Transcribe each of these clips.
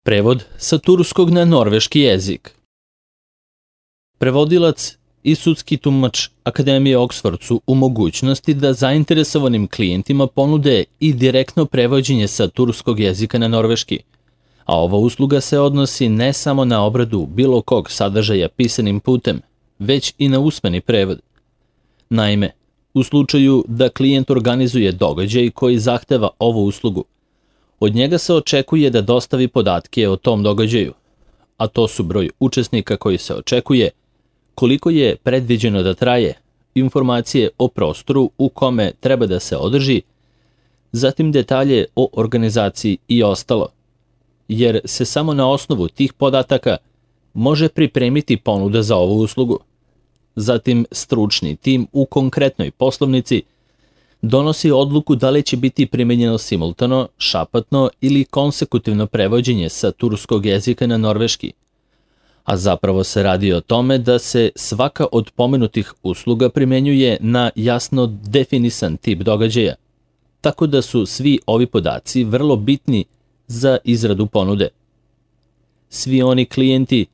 Prevod sa turskog na norveški jezik. Prevodilac i sudski tumač Akademije Oxford su u mogućnosti da zainteresovanim klijentima ponude i direktno prevođenje sa turskog jezika na norveški, a ova usluga se odnosi ne samo na obradu bilo kog sadržaja pisanim putem, već i na usmeni prevod. Naime, u slučaju da klijent organizuje događaj koji zahteva ovu uslugu, od njega se očekuje da dostavi podatke o tom događaju, a to su broj učesnika koji se očekuje, koliko je predviđeno da traje, informacije o prostoru u kome treba da se održi, zatim detalje o organizaciji i ostalo, jer se samo na osnovu tih podataka može pripremiti ponuda za ovu uslugu. Zatim stručni tim u konkretnoj poslovnici donosi odluku da li će biti primenjeno simultano, šapatno ili konsekutivno prevođenje sa turskog jezika na norveški, a zapravo se radi o tome da se svaka od pomenutih usluga primenjuje na jasno definisan tip događaja, tako da su svi ovi podaci vrlo bitni za izradu ponude. Svi oni klijenti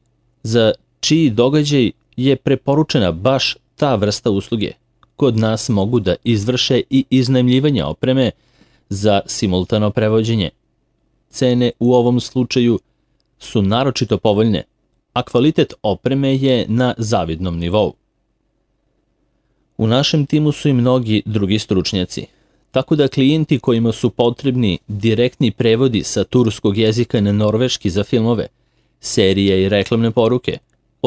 za čiji događaj je preporučena baš ta vrsta usluge, kod nas mogu da izvrše i iznajmljivanje opreme za simultano prevođenje. Cene u ovom slučaju su naročito povoljne, a kvalitet opreme je na zavidnom nivou. U našem timu su i mnogi drugi stručnjaci, tako da klijenti kojima su potrebni direktni prevodi sa turskog jezika na norveški za filmove, serije i reklamne poruke,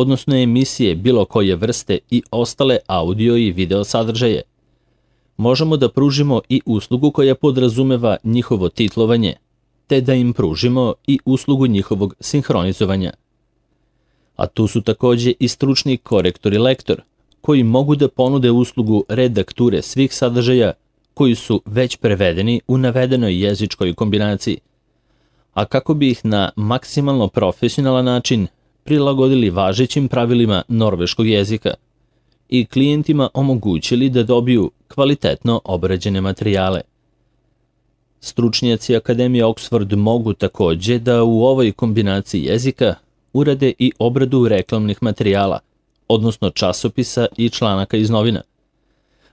odnosno emisije bilo koje vrste i ostale audio i video sadržaje, možemo da pružimo i uslugu koja podrazumeva njihovo titlovanje, te da im pružimo i uslugu njihovog sinhronizovanja. A tu su takođe i stručni korektor i lektor, koji mogu da ponude uslugu redakture svih sadržaja koji su već prevedeni u navedenoj jezičkoj kombinaciji, a kako bi ih na maksimalno profesionalan način prilagodili važećim pravilima norveškog jezika i klijentima omogućili da dobiju kvalitetno obrađene materijale. Stručnjaci Akademije Oxford mogu takođe da u ovoj kombinaciji jezika urade i obradu reklamnih materijala, odnosno časopisa i članaka iz novina,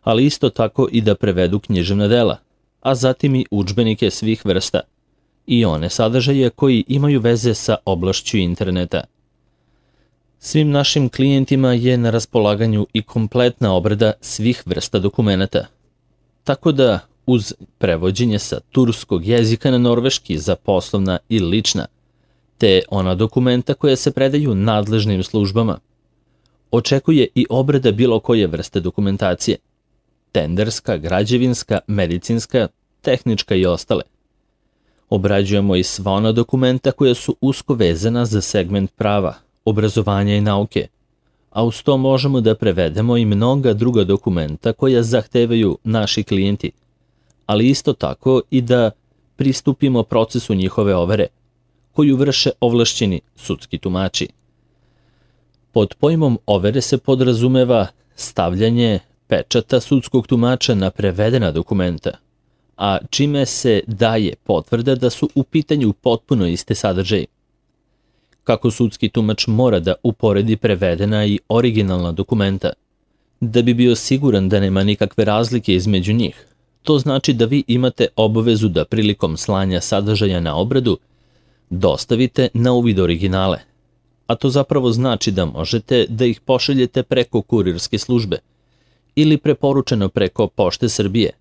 ali isto tako i da prevedu književna dela, a zatim i udžbenike svih vrsta i one sadržaje koji imaju veze sa oblašću interneta. Svim našim klijentima je na raspolaganju i kompletna obrada svih vrsta dokumenata, tako da uz prevođenje sa turskog jezika na norveški za poslovna i lična, te ona dokumenta koja se predaju nadležnim službama, očekuje i obrada bilo koje vrste dokumentacije, tenderska, građevinska, medicinska, tehnička i ostale. Obrađujemo i sva ona dokumenta koja su usko vezana za segment prava, obrazovanja i nauke, a uz to možemo da prevedemo i mnoga druga dokumenta koja zahtevaju naši klijenti, ali isto tako i da pristupimo procesu njihove overe, koju vrše ovlašćeni sudski tumači. Pod pojmom overe se podrazumeva stavljanje pečata sudskog tumača na prevedena dokumenta, a čime se daje potvrda da su u pitanju potpuno iste sadržaje. Kako sudski tumač mora da uporedi prevedena i originalna dokumenta, da bi bio siguran da nema nikakve razlike između njih, to znači da vi imate obavezu da prilikom slanja sadržaja na obradu dostavite na uvid originale, a to zapravo znači da možete da ih pošaljete preko kurirske službe ili preporučeno preko Pošte Srbije,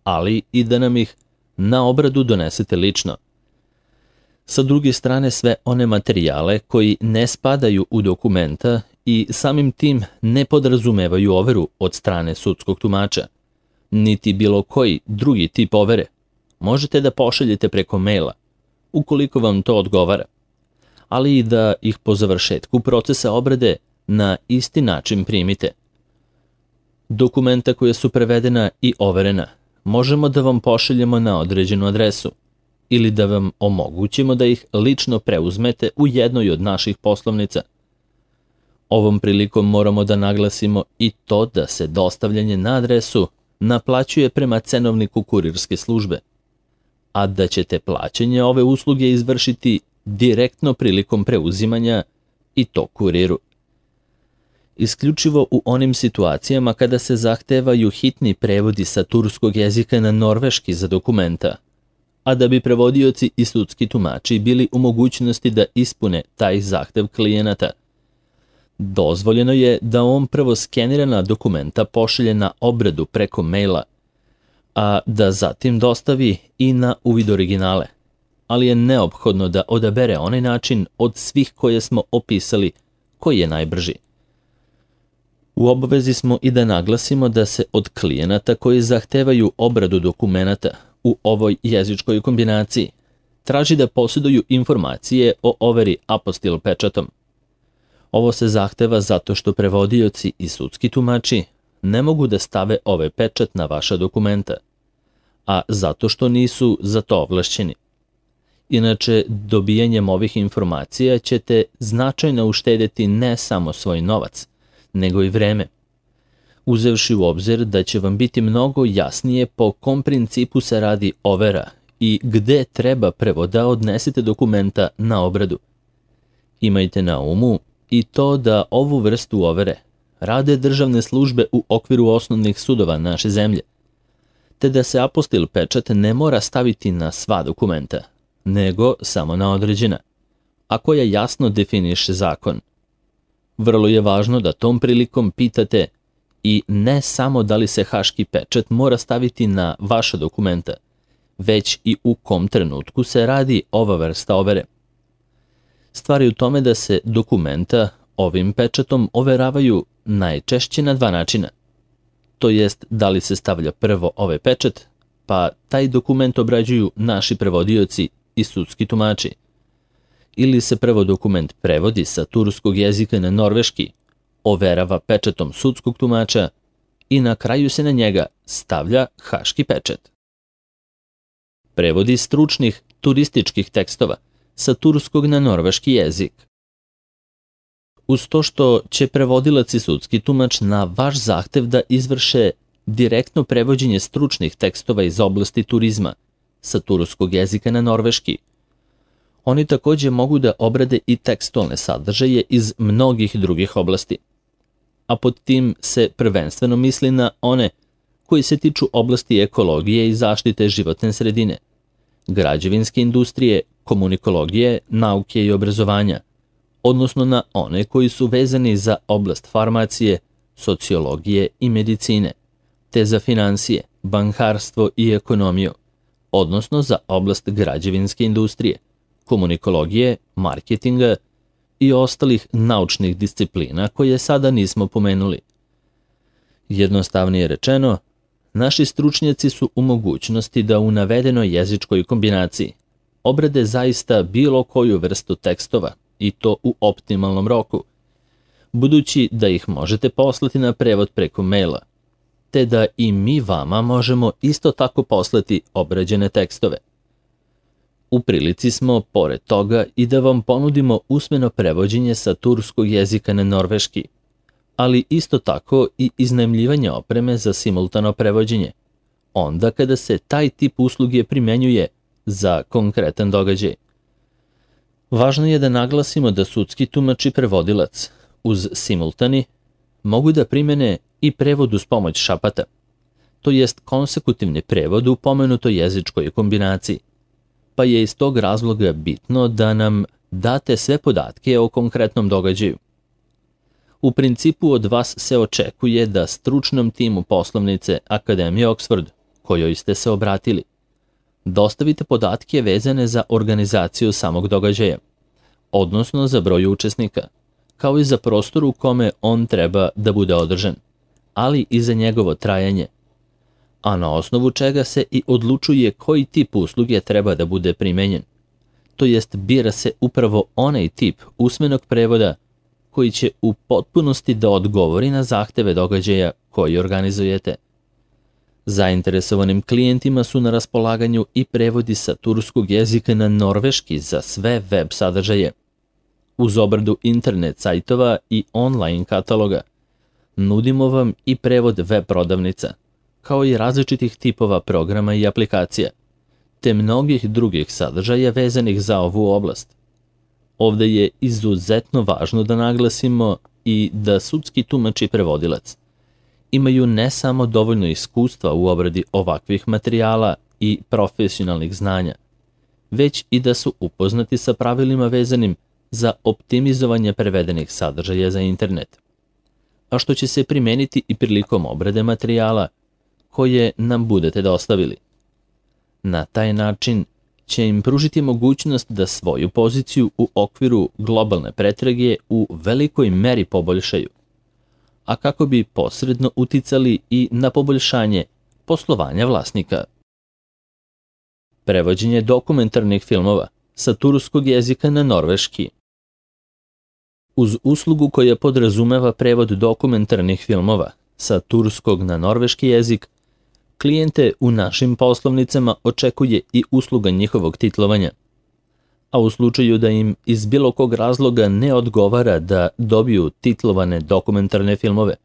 ali i da nam ih na obradu donesete lično. Sa druge strane, sve one materijale koji ne spadaju u dokumenta i samim tim ne podrazumevaju overu od strane sudskog tumača, niti bilo koji drugi tip overe, možete da pošaljete preko maila, ukoliko vam to odgovara, ali i da ih po završetku procesa obrade na isti način primite. Dokumenta koja su prevedena i overena možemo da vam pošaljemo na određenu adresu ili da vam omogućimo da ih lično preuzmete u jednoj od naših poslovnica. Ovom prilikom moramo da naglasimo i to da se dostavljanje na adresu naplaćuje prema cenovniku kurirske službe, a da ćete plaćanje ove usluge izvršiti direktno prilikom preuzimanja i to kuriru. Isključivo u onim situacijama kada se zahtevaju hitni prevodi sa turskog jezika na norveški za dokumenta, a da bi prevodioci i sudski tumači bili u mogućnosti da ispune taj zahtev klijenata. Dozvoljeno je da on prvo skenirana dokumenta pošalje na obradu preko maila, a da zatim dostavi i na uvid originale, ali je neophodno da odabere onaj način od svih koje smo opisali koji je najbrži. U obavezi smo i da naglasimo da se od klijenata koji zahtevaju obradu dokumenata u ovoj jezičkoj kombinaciji traži da posjeduju informacije o overi apostil pečatom. Ovo se zahteva zato što prevodioci i sudski tumači ne mogu da stave ovaj pečat na vaša dokumenta, a zato što nisu za to ovlašćeni. Inače, dobijanjem ovih informacija ćete značajno uštedeti ne samo svoj novac, nego i vreme, uzevši u obzir da će vam biti mnogo jasnije po kom principu se radi overa i gde treba prvo da odnesete dokumenta na obradu. Imajte na umu i to da ovu vrstu overe rade državne službe u okviru osnovnih sudova naše zemlje, te da se apostil pečat ne mora staviti na sva dokumenta, nego samo na određena, a koja jasno definiše zakon. Vrlo je važno da tom prilikom pitate i ne samo da li se haški pečat mora staviti na vaša dokumenta, već i u kom trenutku se radi ova vrsta overe. Stvar je u tome da se dokumenta ovim pečatom overavaju najčešće na dva načina. To jest da li se stavlja prvo ovaj pečat, pa taj dokument obrađuju naši prevodioci i sudski tumači. Ili se prvo dokument prevodi sa turskog jezika na norveški, overava pečatom sudskog tumača i na kraju se na njega stavlja haški pečat. Prevodi stručnih turističkih tekstova sa turskog na norveški jezik. Uz to što će prevodilac i sudski tumač na vaš zahtev da izvrše direktno prevođenje stručnih tekstova iz oblasti turizma sa turskog jezika na norveški, oni također mogu da obrade i tekstualne sadržaje iz mnogih drugih oblasti. A pod tim se prvenstveno misli na one koji se tiču oblasti ekologije i zaštite životne sredine, građevinske industrije, komunikologije, nauke i obrazovanja, odnosno na one koji su vezani za oblast farmacije, sociologije i medicine, te za finansije, bankarstvo i ekonomiju, odnosno za oblast građevinske industrije, komunikologije, marketinga i ostalih naučnih disciplina koje sada nismo pomenuli. Jednostavnije rečeno, naši stručnjaci su u mogućnosti da u navedenoj jezičkoj kombinaciji obrade zaista bilo koju vrstu tekstova i to u optimalnom roku, budući da ih možete poslati na prevod preko maila, te da i mi vama možemo isto tako poslati obrađene tekstove. U prilici smo, pored toga, i da vam ponudimo usmeno prevođenje sa turskog jezika na norveški, ali isto tako i iznajmljivanje opreme za simultano prevođenje, onda kada se taj tip usluge primenjuje za konkretan događaj. Važno je da naglasimo da sudski tumač i prevodilac uz simultani mogu da primene i prevod uz pomoć šapata, to jest konsekutivni prevod u pomenutoj jezičkoj kombinaciji, pa je iz tog razloga bitno da nam date sve podatke o konkretnom događaju. U principu od vas se očekuje da stručnom timu poslovnice Akademije Oxford, kojoj ste se obratili, dostavite podatke vezane za organizaciju samog događaja, odnosno za broj učesnika, kao i za prostor u kome on treba da bude održan, ali i za njegovo trajanje, a na osnovu čega se i odlučuje koji tip usluge treba da bude primenjen. To jest bira se upravo onaj tip usmenog prevoda koji će u potpunosti da odgovori na zahteve događaja koji organizujete. Zainteresovanim klijentima su na raspolaganju i prevodi sa turskog jezika na norveški za sve web sadržaje. Uz obradu internet sajtova i online kataloga, nudimo vam i prevod web prodavnica, kao i različitih tipova programa i aplikacija, te mnogih drugih sadržaja vezanih za ovu oblast, Ovde je izuzetno važno da naglasimo i da sudski tumač i prevodilac imaju ne samo dovoljno iskustva u obradi ovakvih materijala i profesionalnih znanja, već i da su upoznati sa pravilima vezanim za optimizovanje prevedenih sadržaja za internet, a što će se primeniti i prilikom obrade materijala koje nam budete dostavili. Na taj način će im pružiti mogućnost da svoju poziciju u okviru globalne pretrage u velikoj meri poboljšaju, a kako bi posredno uticali i na poboljšanje poslovanja vlasnika. Prevođenje dokumentarnih filmova sa turskog jezika na norveški. Uz uslugu koja podrazumeva prevod dokumentarnih filmova sa turskog na norveški jezik, klijente u našim poslovnicama očekuje i usluga njihovog titlovanja, a u slučaju da im iz bilo kog razloga ne odgovara da dobiju titlovane dokumentarne filmove,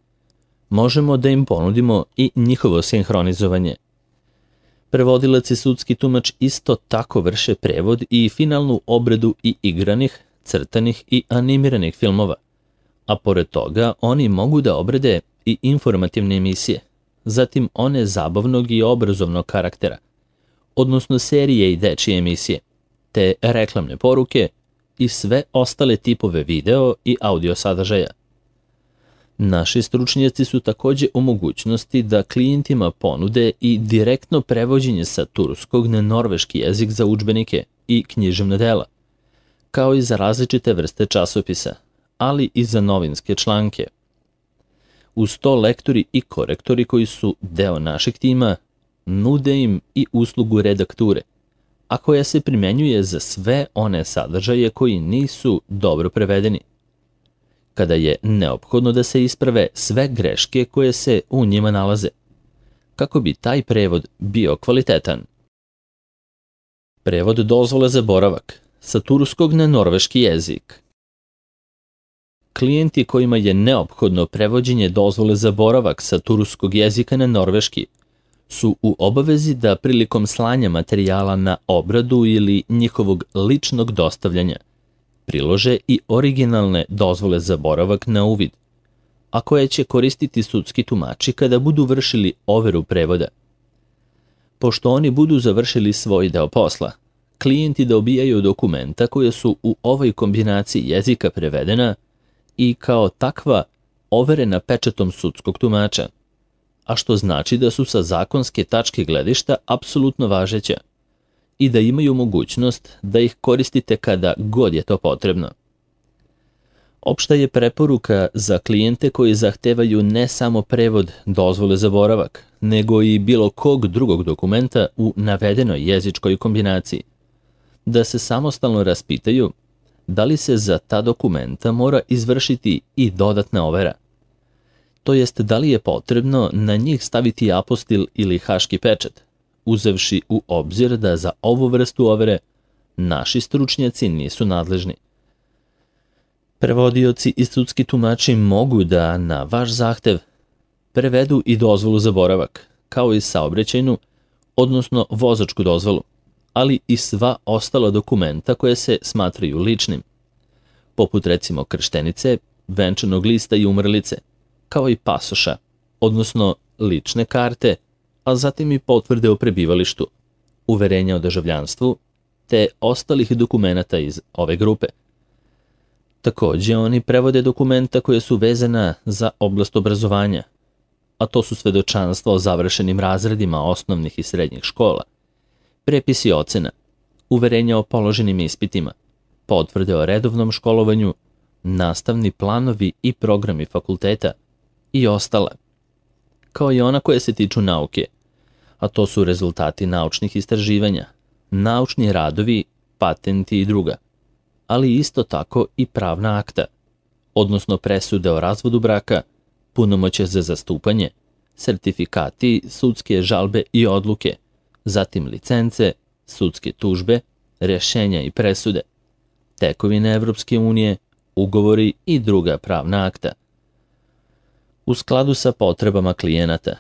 možemo da im ponudimo i njihovo sinhronizovanje. Prevodilac i sudski tumač isto tako vrše prevod i finalnu obradu i igranih, crtanih i animiranih filmova, a pored toga oni mogu da obrade i informativne emisije, zatim one zabavnog i obrazovnog karaktera, odnosno serije i dečije emisije, te reklamne poruke i sve ostale tipove video i audio sadržaja. Naši stručnjaci su takođe u mogućnosti da klijentima ponude i direktno prevođenje sa turskog na norveški jezik za udžbenike i književna dela, kao i za različite vrste časopisa, ali i za novinske članke. Uz to lektori i korektori koji su deo našeg tima nude im i uslugu redakture, a koja se primenjuje za sve one sadržaje koji nisu dobro prevedeni, kada je neophodno da se isprave sve greške koje se u njima nalaze, kako bi taj prevod bio kvalitetan. Prevod dozvole za boravak sa turskog na norveški jezik. Klijenti kojima je neophodno prevođenje dozvole za boravak sa turskog jezika na norveški su u obavezi da prilikom slanja materijala na obradu ili njihovog ličnog dostavljanja prilože i originalne dozvole za boravak na uvid, a koje će koristiti sudski tumači kada budu vršili overu prevoda. Pošto oni budu završili svoj deo posla, klijenti dobijaju dokumenta koje su u ovoj kombinaciji jezika prevedena i kao takva overena pečatom sudskog tumača, a što znači da su sa zakonske tačke gledišta apsolutno važeća i da imaju mogućnost da ih koristite kada god je to potrebno. Opšta je preporuka za klijente koji zahtevaju ne samo prevod dozvole za boravak, nego i bilo kog drugog dokumenta u navedenoj jezičkoj kombinaciji, da se samostalno raspitaju da li se za ta dokumenta mora izvršiti i dodatna overa. To jest da li je potrebno na njih staviti apostil ili haški pečat, uzevši u obzir da za ovu vrstu overe naši stručnjaci nisu nadležni. Prevodioci i sudski tumači mogu da na vaš zahtev prevedu i dozvolu za boravak, kao i saobraćajnu, odnosno vozačku dozvolu, ali i sva ostala dokumenta koje se smatraju ličnim, poput recimo krštenice, venčanog lista i umrlice, kao i pasoša, odnosno lične karte, a zatim i potvrde o prebivalištu, uverenja o državljanstvu, te ostalih dokumenata iz ove grupe. Takođe, oni prevode dokumenta koje su vezana za oblast obrazovanja, a to su svedočanstva o završenim razredima osnovnih i srednjih škola, prepisi ocena, uverenja o položenim ispitima, potvrde o redovnom školovanju, nastavni planovi i programi fakulteta i ostala, kao i ona koje se tiču nauke, a to su rezultati naučnih istraživanja, naučni radovi, patenti i druga, ali isto tako i pravna akta, odnosno presude o razvodu braka, punomoćje za zastupanje, sertifikati, sudske žalbe i odluke, zatim licence, sudske tužbe, rješenja i presude, tekovine Evropske unije, ugovori i druga pravna akta. U skladu sa potrebama klijenata,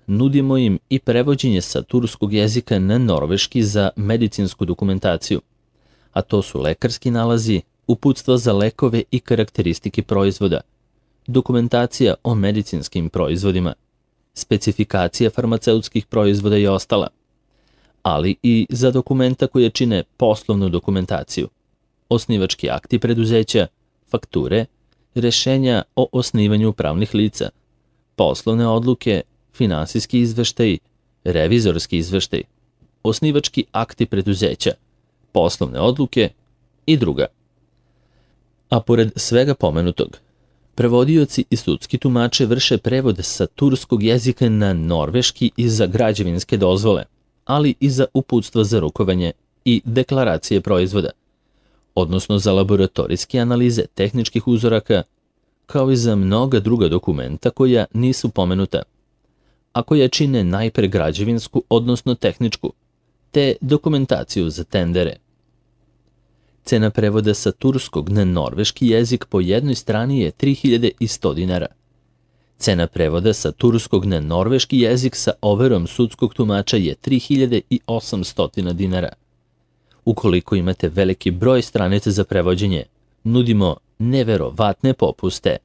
nudimo im i prevođenje sa turskog jezika na norveški za medicinsku dokumentaciju, a to su lekarski nalazi, uputstva za lekove i karakteristike proizvoda, dokumentacija o medicinskim proizvodima, specifikacija farmaceutskih proizvoda i ostala, ali i za dokumenta koje čine poslovnu dokumentaciju, osnivački akti preduzeća, fakture, rešenja o osnivanju pravnih lica, poslovne odluke, finansijski izveštaji, revizorski izveštaj, osnivački akti preduzeća, poslovne odluke i druga. A pored svega pomenutog, prevodioci i sudski tumače vrše prevod sa turskog jezika na norveški i za građevinske dozvole, ali i za uputstva za rukovanje i deklaracije proizvoda, odnosno za laboratorijske analize tehničkih uzoraka, kao i za mnoga druga dokumenta koja nisu pomenuta, a koja čine najpre građevinsku, odnosno tehničku, te dokumentaciju za tendere. Cena prevoda sa turskog na norveški jezik po jednoj strani je 3100 dinara. Cena prevoda sa turskog na norveški jezik sa overom sudskog tumača je 3800 dinara. Ukoliko imate veliki broj stranica za prevođenje, nudimo neverovatne popuste.